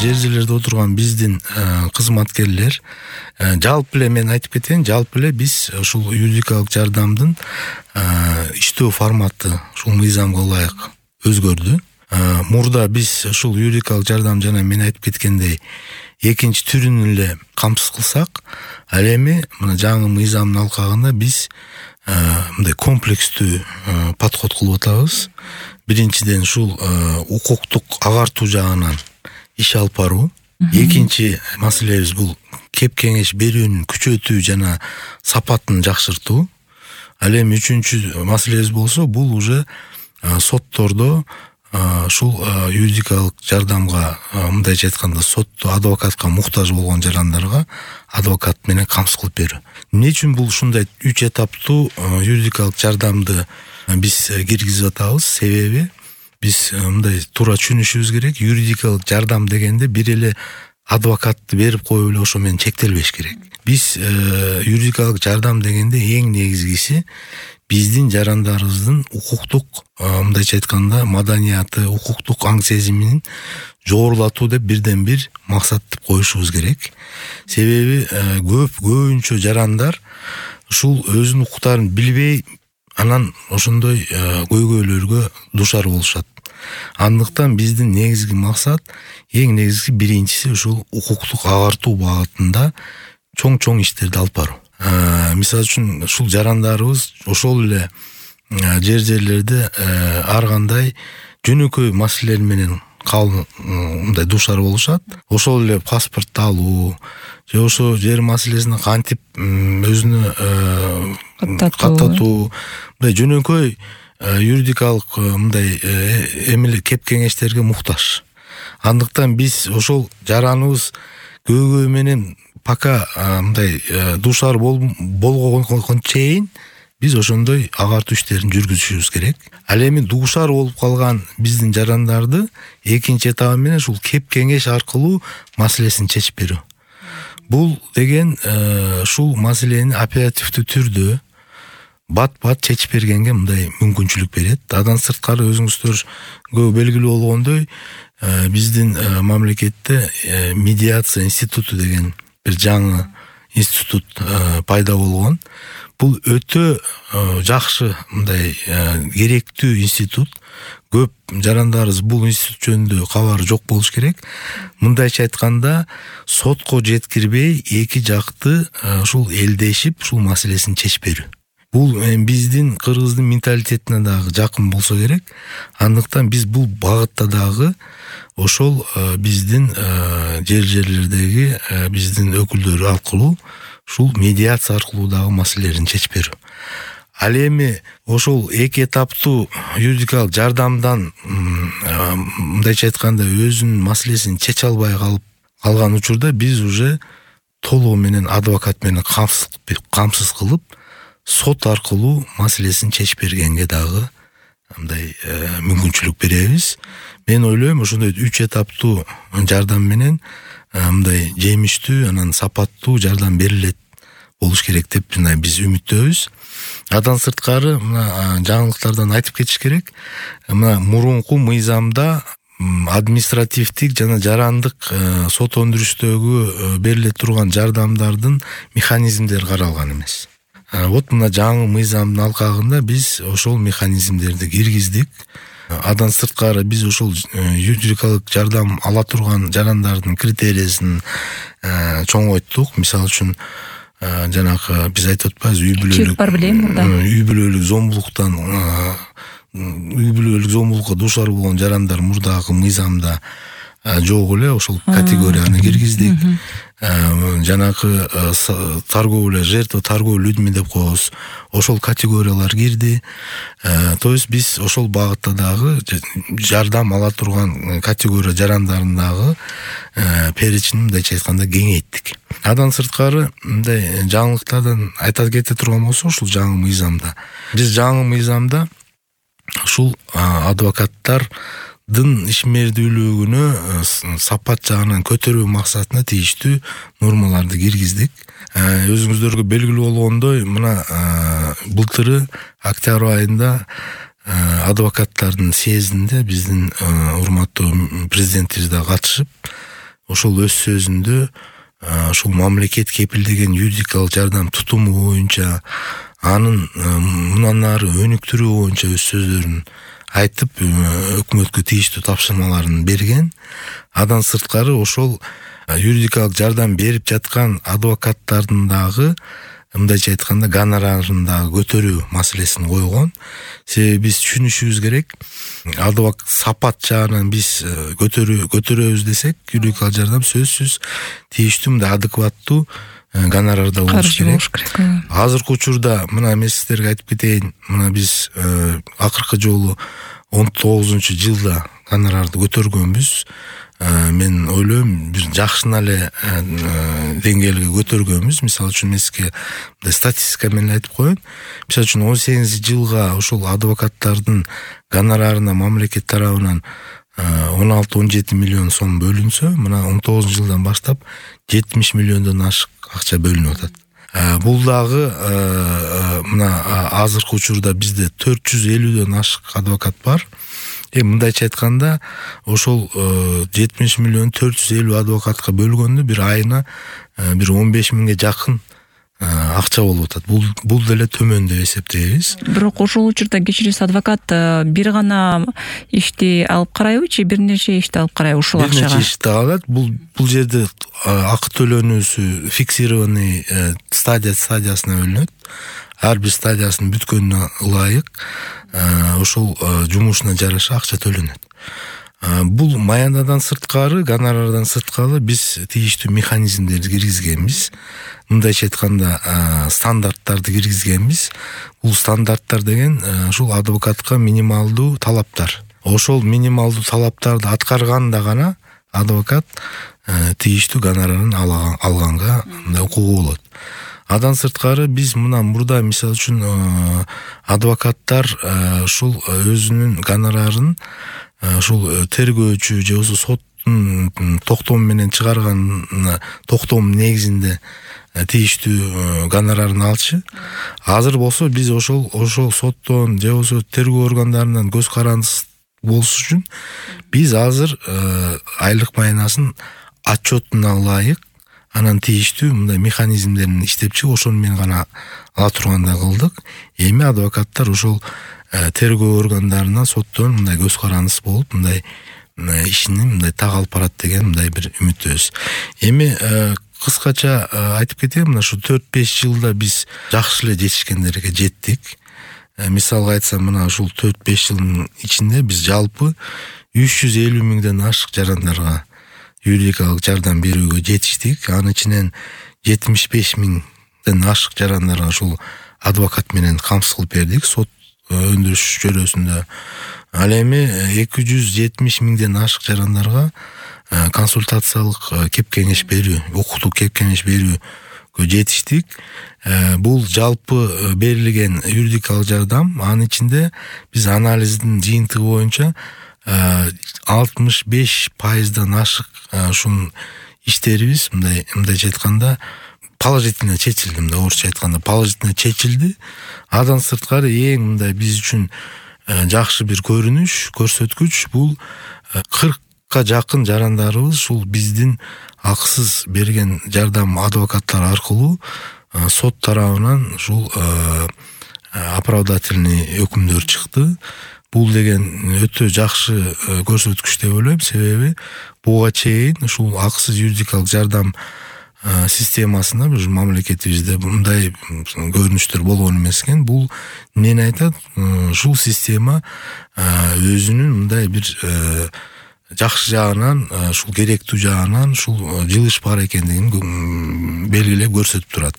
жер жерлерде отурган биздин кызматкерлер жалпы эле мен айтып кетейин, жалпы эле биз ушул юридикалык жардамдын иштөө форматы ушул мыйзамга ылайык өзгөрдү. Мурда биз ушул юридикалык жардам жана мен айтып кеткендей экинчи түрүн эле камсыз кылсак, ал эми мына жаңы мыйзамдын алкагында биз мындай комплекстүү подход кылып атабыз. Биринчиден ушул укуктук агартуу жагынан иш алып баруу. Экинчи маселебиз бул кеп кеңеш берүүнү күчөтүү жана сапатын жакшыртуу. Ал эми үчүнчү маселебиз болсо бул уже соттордо ушул юридикалык жардамга, мындайча айтканда, сотто адвокатка муктаж болгон жарандарга адвокат менен камсыз кылып берүү. Эмне үчүн бул ушундай 3 этаптуу юридикалык жардамды биз киргизип атабыз? Себеби биз мындай туура түшүнүшүбүз керек. Юридикалык жардам дегенде бир эле адвокатты берип коюп эле ошо менен чектелбеш керек. Биз юридикалык жардам дегенде эң негизгиси биздин жарандарыбыздын укуктук, мындайча айтканда, маданияты, укуктук аң сезимин жогорулатуу деп бирден бир максат деп коюшубуз керек. Себеби көбүнчө жарандар ушул өзүнүн укуктарын билбей, анан ошондой көйгөйлөргө дуушар болушат. Андыктан биздин негизги максат, эң негизги биринчиси ушул укуктук агартуу багытында чоң иштерди алып баруу. Мисалы үчүн ушул жарандарыбыз ошол эле жер жерлерде ар кандай жөнөкөй маселелер менен мындай дуушар болушат. Ошол эле паспорт алуу же ошо жер маселесине кантип өзүнө каттатуу, мындай жөнөкөй юридикалык мындай эмеле кеп кеңештерге муктаж. Андыктан биз ошол жараныбыз көйгөй менен пока мындай дуушар болгонго чейин биз ошондой агартуу иштерин жүргүзүшүбүз керек. Ал эми дуушар болуп калган биздин жарандарды экинчи этабы менен ушул кеп кеңеш аркылуу маселесин чечип берүү. Бул деген ушул маселени оперативдүү түрдө бат чечип бергенге мындай мүмкүнчүлүк берет. Адан сырткары өзүңүздөргө белгилүү болгондой, биздин мамлекетте медиация институту деген бир жаңы институт пайда болгон. Бул өтө жакшы, мындай керектүү институт. Көп жарандарыбыз бул институт жөнүндө кабары жок болуш керек. Мындайча айтканда, сотко жеткирбей эки жакты ушул элдешип, ушул маселесин чечип берүү. Бул биздин кыргыздын менталитетине дагы жакын болсо керек. Андыктан биз бул багытта дагы ошол биздин жер жерлердеги биздин өкүлдөр аркылуу, ушул медиация аркылуу дагы маселелерин чечип берүү. Ал эми ошол эки этаптуу юридикалык жардамдан мындайча айтканда өзүнүн маселесин чече албай калган учурда биз уже толугу менен адвокат менен камсыз кылып сот аркылуу маселесин чечип бергенге дагы мындай мүмкүнчүлүк беребиз. Мен ойлойм, ошондой 3 этаптуу жардам менен мындай жемиштүү, анан сапаттуу жардам берилет болуш керек деп биз үмүттөбүз. Адан сырткары мына жаңылыктардан айтып кетиш керек. Мына мурунку мыйзамда административдик жана жарандык сот өндүрүштөгү бериле турган жардамдардын механизмдери каралган эмес. Вот мына жаңы мыйзамдын алкагында биз ошол механизмдерди киргиздик. Адан сырткары биз ошол юридикалык жардам ала турган жарандардын критериясын чоңойттук. Мисалы үчүн жанагы биз айтып атпайбыз, үй бүлөлүк зомбулукка дуушар болгон жарандар мурдагы мыйзамда жок эле, ошол категорияны киргиздик. Жанагы торговля, жертва торговли людьми деп коебуз, ошол категориялар кирди. То есть биз ошол багытта дагы жардам ала турган категория жарандарын дагы перечинин мындайча айтканда кеңейттик. Адан сырткары мындай жаңылыктардан айта кете турган болсо, ушул жаңы мыйзамда биз ушул адвокаттардын ишмердүүлүгүнө сапат жагынан көтөрүү максатында тийиштүү нормаларды киргиздик. Өзүңүздөргө белгилүү болгондой, мына былтыры октябрь айында адвокаттардын съездинде биздин урматтуу президентибиз да катышып, ошол өз сөзүндө ушул мамлекет кепилдеген юридикалык жардам тутуму боюнча анын мындан ары өнүктүрүү боюнча өз сөздөрүн айтып өкмөткө тийиштүү тапшырмаларын берген. Андан сырткары ошол юридикалык жардам берип жаткан адвокаттардын дагы мындайча айтканда гонорарын дагы көтөрүү маселесин койгон. Себеби биз түшүнүшүбүз керек, сапат жагынан биз көтөрөбүз десек, юридикалык жардам сөзсүз тийиштүү мындай адекваттуу гонорарда болуш керек. Азыркы учурда мына мен сиздерге айтып кетейин, мына биз акыркы жолу 19-жылда гонорарды көтөргөнбүз. Мен ойлойм, бир жакшына эле деңгээлге көтөргөнбүз. Мисалы үчүн мен сизге статистика менен айтып коеюн. Мисалы үчүн 18-жылга ошол адвокаттардын гонорарына мамлекет тарабынан 16-17 миллион сом бөлүнсө, мына 19-жылдан баштап 70 миллиондон ашык акча бөлүнүп атат. Бул дагы мына азыркы учурда бизде 450дөн ашык адвокат бар. Мындайча айтканда, ошол 70 миллион 450 адвокатка бөлгөндө бир айына бир 15 миңге жакын акча болуп атат. Бул деле төмөн деп эсептейбиз. Бирок ошол учурда кечиресиз адвокат бир гана ишти алып карайбы, же бир нече ишти алып карайбы ушул акчага? Бир нече ишти алат. Бул жерде акы төлөнүүсү фиксированный стадиясына бөлүнөт. Ар бир стадиясынын бүткөнүнө ылайык ошол жумушуна жараша акча төлөнөт. Бул маянадан сырткары, гонорардан сырткары биз тийиштүү механизмдерди киргизгенбиз. Мындайча айтканда, стандарттарды киргизгенбиз. Бул стандарттар деген ушул адвокатка минималдуу талаптар. Ошол минималдуу талаптарды аткарганда гана адвокат тийиштүү гонорарын алганга укугу болот. Адан сырткары биз мына мурда мисалы үчүн адвокаттар ушул өзүнүн гонорарын ушул тергөөчү же болбосо соттун токтому менен чыгарган токтом негизинде тийиштүү гонорарын алчу. Азыр болсо биз ошол соттон же болбосо тергөө органдарынан көз карандысыз болуш үчүн биз азыр айлык маянасын отчетуна ылайык анан тийиштүү мындай механизмдерин иштеп чыгып ошону менен гана ала тургандай кылдык. Эми адвокаттар ошол тергөө органдарынан соттон мындай көз карандысыз болуп мындай ишини мындай так алып барат деген мындай бир үмүттөбүз. Эми кыскача айтып кетейин, мына ушу 4-5 жылда биз жакшы эле жетишкендерге жеттик. Мисалга айтсам, мына ушул 4-5 жылдын ичинде биз жалпы 350 миңден ашык жарандарга юридикалык жардам берүүгө жетиштик. Анын ичинен 75 миңден ашык жарандарга ушул адвокат менен камсыз кылып бердик сот өндүрүш чөйрөсүндө. Ал эми 270 миңден ашык жарандарга консультациялык кеп кеңеш берүү, укуктук кеп кеңеш берүүгө жетиштик. Бул жалпы берилген юридикалык жардам. Анын ичинде биз анализдин жыйынтыгы боюнча 65%дан ашык ушун иштерибиз мындайча айтканда положительно чечилди, орусча айтканда положительно чечилди. Адан сырткары эң мындай биз үчүн жакшы бир көрсөткүч бул 40ка жакын жарандарыбыз ушул биздин акысыз берген жардам адвокаттар аркылуу сот тарабынан ушул оправдательный өкүмдөр чыкты. Бул деген өтө жакшы көрсөткүч деп ойлойм, себеби буга чейин ушул акысыз юридикалык жардам системасында биз мамлекетибизде мындай көрүнүштөр болгон эмес экен. Бул эмнени айтат? Ушул система өзүнүн мындай бир жакшы жагынан, ушул керектүү жагынан ушул жылыш бар экендигин белгилеп көрсөтүп турат.